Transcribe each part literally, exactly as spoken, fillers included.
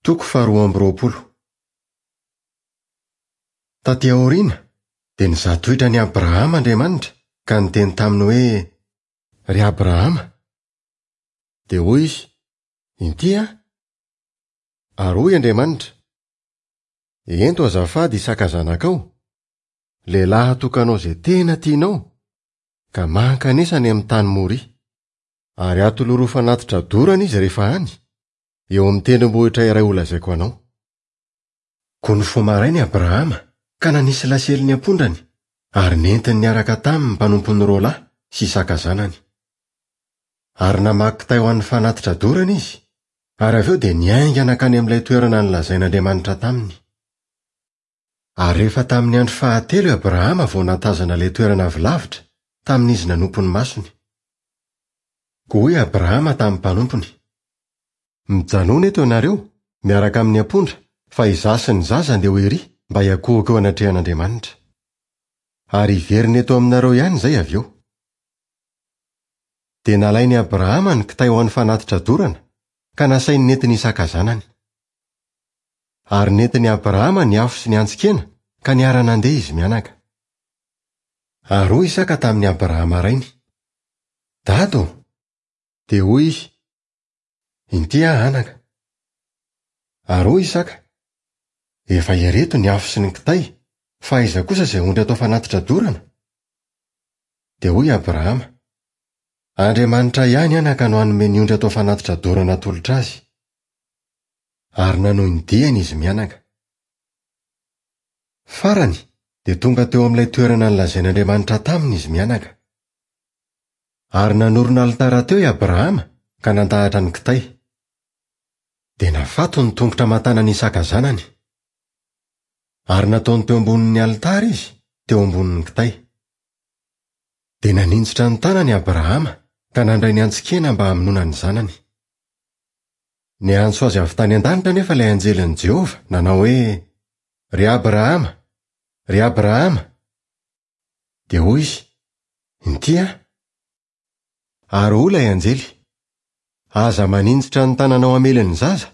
Toko faharoa amby roapolo. Taty aoriana dia nizaha toetra an'i Abrahama Andriamanitra ka niteny taminy hoe, Ry Abrahama! Dia hoy izy, Inty aho. Ary hoy Andriamanitra, Ento azafady Isaka zanakao, lehilahy atokanao izay tena tianao, ka mankanesa any amin'ny tany Moria. Ary atoloro ho fanatitra dorana izy rehefa any, eo amin'ny tendrombohitra iray holazaiko anao. Koa nifoha maraina i Abrahama ka nanisy lasely ny ampondrany, ary nentiny niaraka taminy ny mpanompony roa lahy sy Isaka zanany. Ary namaky kitay ho an'ny fanatitra dorana izy, ary avy eo dia niainga nankany amin'ilay toerana nolazain'Andriamanitra taminy. Ary rehefa tamin'ny andro fahatelo i Abrahama vao nahatazana ilay toerana avy lavitra, tamin'izy nanompo ny masony. Koa hoy Abrahama tamin'ny mpanompony, Mijanòna eto ianareo, miaraka amin'ny ampondra, fa izaho sy ny zaza andeha ho ery mba hiankohoka eo anatrehan'Andriamanitra. Ary hiverina eto aminareo ihany izay avy eo. Dia nalain'i Abrahama ny kitay ho an'ny fanatitra dorana, ka nasainy nentin'i Isaka zanany. Ary nentin'i Abrahama ny afo sy ny antsin-kena, ka niara-nandeha izy mianaka. Ary hoy Isaka tamin'i Abrahama rainy, Dada ô! Dia hoy izy, Inty aho anaka. Ary hoy Isaka, Efa ireto ny afo sy ny kitay, fa aiza kosa izay ondry atao fanatitra dorana? Dia hoy Abrahama, Andriamanitra ihany anaka no hanome ny ondry atao fanatitra dorana atolotra azy. Ary nanohy ny diany izy mianaka. Farany, dia tonga teo amin'ilay toerana nolazain'Andriamanitra taminy izy mianaka. Ary nanorina alitara teo i Abrahama ka nandahatra ny kitay. Dia nafato ny tongotra aman-tanan'i Isaka zanany. Ary nataony teo ambonin'ny alitara izy, teo ambonin'ny kitay. Dia naninjitra ny tanany Abrahama ka nandray ny antsin-kena mba hamonoana ny zanany. Niantso azy avy tany an-danitra anefa ilay anjelin'i Jehovah, nanao hoe, Ry Abrahama! Ry Abrahama! Dia hoy izy, Inty aho. Ary hoy ilay anjely, Aza maninjitra ny tananao hamely ny zaza,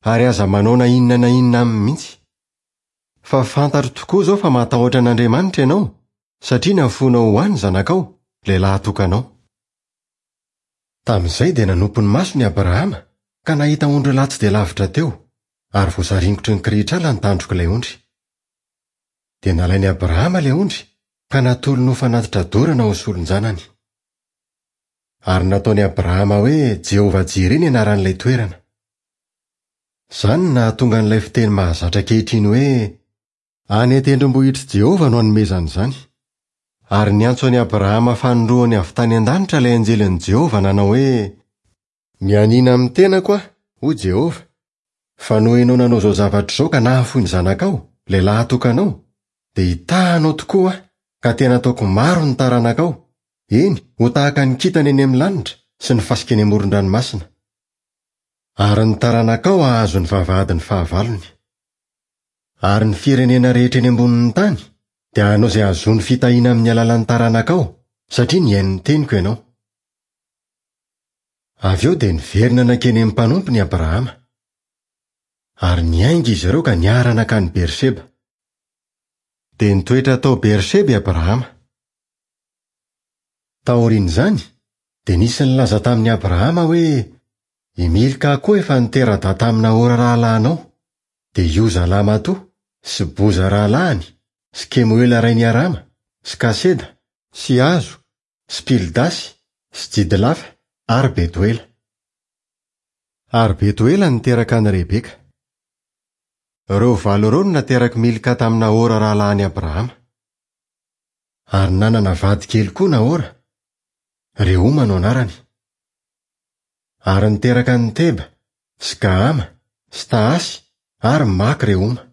ary aza manao na inona na inona aminy mihitsy. Fa fantatro tokoa izao fa matahotra an'Andriamanitra ianao, satria nafoinao ho ahy ny zanakao, ilay lahatokanao. Tamin'izay dia nanompo ny masony i Abrahama, ka nahita ondrilahy tsy dia lavitra teo, ary voasaringotry ny kirihitr'ala ny tandrok'ilay ondry. Dia nalain'i Abrahama ilay ondry, ka natolony ho fanatitra dorana ho solon-janany. Ary nataon'i Abrahama hoe Jehovah-Jireh ny anaran'ilay toerana. Izany no nahatonga an'ilay fiteny mahazatra ankehitriny hoe, Any an-tendrombohitr'i Jehovah no hanomezana izany. Ary niantso an'i Abrahama fanindroany avy tany an-danitra ilay anjelin'i Jehovah nanao hoe, Mianiana amin'ny tenako aho, hoy Jehovah, fa noho ianao nanao izao zavatra izao ka nahafoy ny zanakao, ilay lahatokanao, dia hitaha anao tokoa aho, ka tena hataoko maro ny taranakao, eny, ho tahaka ny kintana eny amin'ny lanitra sy ny fasika eny amoron-dranomasina. Ary ny taranakao hahazo ny vavahadin'ny fahavalony. Ary ny firenena rehetra eny ambonin'ny tany dia hanao izay hahazoany fitahiana amin'ny alalan'ny taranakao, satria nihaino ny teniko ianao. Avy eo dia niverina nankeny amin'ny mpanompony i Abrahama. Ary niainga izy ireo ka niara-nankany Berseba. Dia nitoetra tao Berseba i Abrahama. Taorian'izany, dia nisy nilaza tamin'i Abrahama hoe, I Milka koa efa nitera-dahy tamin'i Nahora rahalahinao, dia i Oza lahimatoa, sy Boza rahalahiny, sy Kemoela rain'i Arama, sy Kaseda, sy Hazo, sy Pildasy, sy Jidlafa, ary Betoela. Ary Betoela niteraka an'i Rebeka. Ireo valo ireo no naterak'i Milka tamin'i Nahora rahalahin'i Abrahama. Ary nanana vady kely koa Nahora, Rehoma no anarany. Ary niteraka an'i Teba, sy Gahama, sy Tahasy, ary Maka Rehoma.